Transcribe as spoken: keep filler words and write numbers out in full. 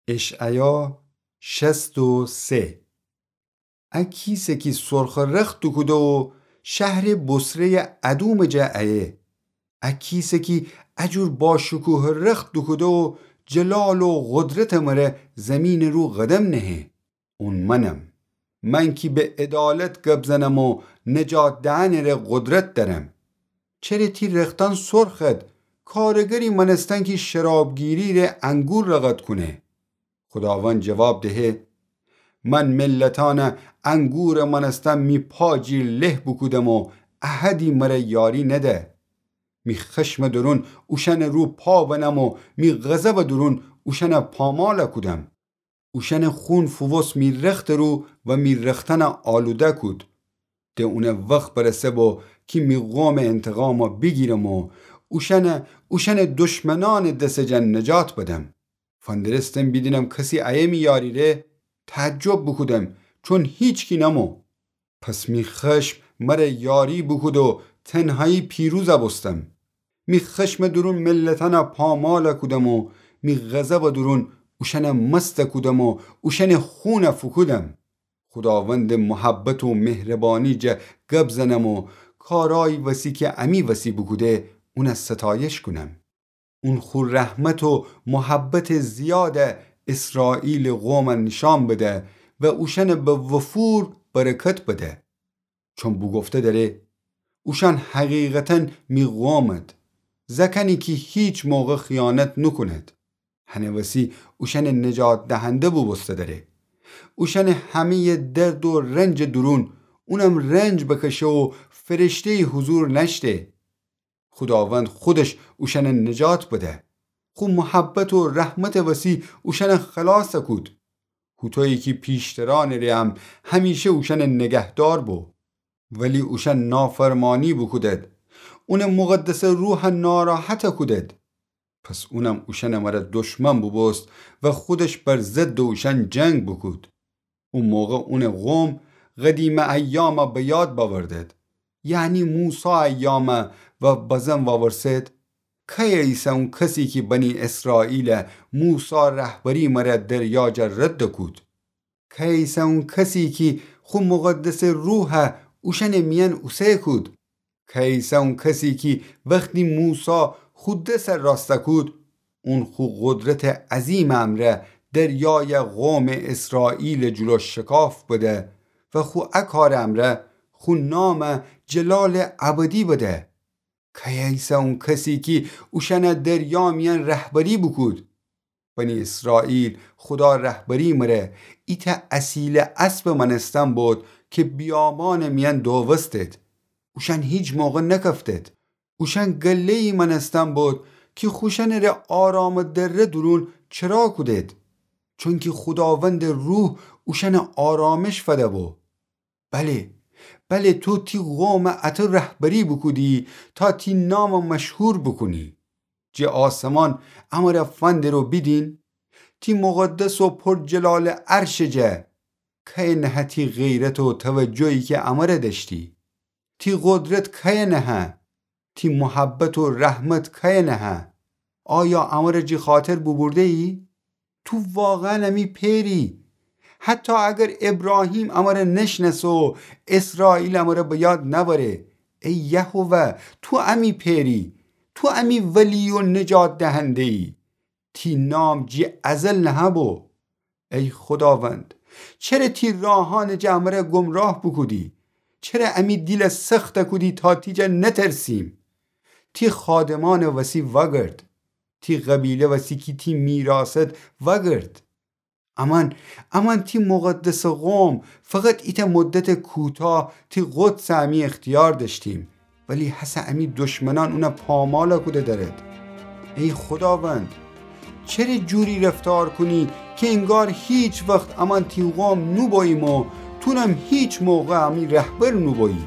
اشعیا شصت و سه. ا کیسه کی سرخٚ رخت دوکوده و شهرٚ بصره‌یٚ ادومٚ جا ایه. ا کیسه کی ا جور باشکوهٚ رخت دوکوده و جلال و قدرتٚ مره زیمینٚ رو قدم نهه. اون منم. من کی به عدالت گب زنم و نجات دئنٚ ره قدرت دأرم. چره تی رختأن سرخد؟ کارگری مأنستن کی شرابگیری ره انگور رقد کونه. خوداوند جواب دهه: من ملتأنٚ انگورٚ مأنستن می پا جیر له بوکودم و احدی مره یاری نده. می خشمٚ دورون اوشأنٚ رو پا بنم و می غضبٚ دورون اوشأن پامال کودم. اوشأنٚ خون فووست می رختٚ رو و می رختأن آلوده کود. ده اونٚ وخت برسه بو کی می قومٚ انتقام بیگیرم و اوشأن، اوشأنٚ دشمنأنٚ دسٚ جا نجات بدم. فندرستم بیدینم کسی ایه می یاری ره، تعجب بوکودم، چون هیچکی نمو. پس می خشم مره یاری بوکود و تنهایی پیروز بوستم. می خشمٚ دورون ملتأن پامال کودم و می غضبٚ دورون اوشأن مست کودم و اوشأنٚ خون فوکودم. خوداوندٚ محبت و مهربانی جا گب زنم و کارأیی وسی کی امی وسی بوکوده، اون ستایش کونم. اون خو رحمت و محبتٚ زیاد اسرائیلٚ قوم نیشأن بده و اوشأن به وفور برکت بده. چون بوگفته دأره: اوشأن حقیقتاً می قومد، زأکأنی کی هیچ موقع خیانت نوکوند. هنٚ وسی اوشأنٚ نجات دهنده بوبوسته دأره. اوشأنٚ همه‌یٚ درد و رنجٚ دورون اونم رنج بکشه و فرشته‌یی حضور نأشته. خوداوند خودش اوشأن نجات بده. خو محبت و رحمتٚ وسی اوشأن خلاص کود. هوطویی کی پیشترأنٚ ره هم همیشه اوشأن نگهدار بو. ولی اوشأن نافرمانی بوکودد. اونٚ مقدسٚ روح ناراحت کودد. پس اونم اوشأنٚ مره دشمن بوبوست و خودش بر ضدٚ اوشأن جنگ بوکود. او موقع اونٚ قوم قدیمٚ ایام به یاد بأوردد، یعنی موسی ایام، و بزن وأورسد: کیه ایسه اون کسی کی بنی اسرائیل موسی رهبری مره دریا جا رد کود؟ کیه ایسه اون کسی کی خو مقدسٚ روح اوشأنٚ میأن اوسه کود؟ کیه ایسه اون کسی کی وختی موسی خو دس راست کود، اون خو قدرتٚ عظیمٚ امرأ دریای قومٚ اسرائیلٚ جلو شکاف بده و خو ا کارٚ امرأ خو نام جلالٚ ابدی بده؟ کیه ایسه اون کسی کی اوشأن دریا میأن رهبری بوکود؟ بنی اسرائیل خودا رهبری مره ایتأ اصیلٚ اسبٚ مأنستن بود کی بیابانٚ میأن دووستد. اوشأن هیچ موقع نکفتد. اوشأن گله‌یی مأنستن بود کی خوشأنٚ ره آرامٚ دره دورون چرا کودد. چونکی خوداوندٚ روح اوشأن آرامش فده بو. بله، بله، تو تی قوم اطو رهبری بوکودی تا تی نام مشهور بوکونی. جٚه آسمان امر فندر و بیدین، تی مقدس و پرجلالٚ عرشٚ جا. کیه نهه تی غیرت و توجهی کی امر دأشتی؟ تی قدرت کیه نهه؟ تی محبت و رحمت کیه نهه؟ آیا امر جٚه خاطر بوبورده‌یی؟ تو واقعاً امی پئری؟ حتی اگر ابراهیم امر نشنأسه و اسرائیل امر به یاد نأوره، ای یهوه، تو امی پئری، تو امی ولی و نجات دهنده‌یی. تی نام جٚه ازل نهه‌بو. ای خوداوند، چره تی راهأنٚ جا امر گمراه بوکودی؟ چره امی دیل سخت کودی تا تی جا نترسیم؟ تی خادمأنٚ وسی وأگرد. تی قبیله وسی کی تی میراثد وأگرد. امأن، امأن تی مقدسٚ قوم فقط ایتأ مدتٚ کوتاه تی قدسٚ امی اختیار دأشتیم، ولی هسه امی دشمنأن اون پامال کوده دأرد. ای خوداوند، چره جوری رفتار کونی کی انگار هیچ وخت امأن تی قوم نوبوییم و تونم هیچ موقع امی رهبر نوبویی؟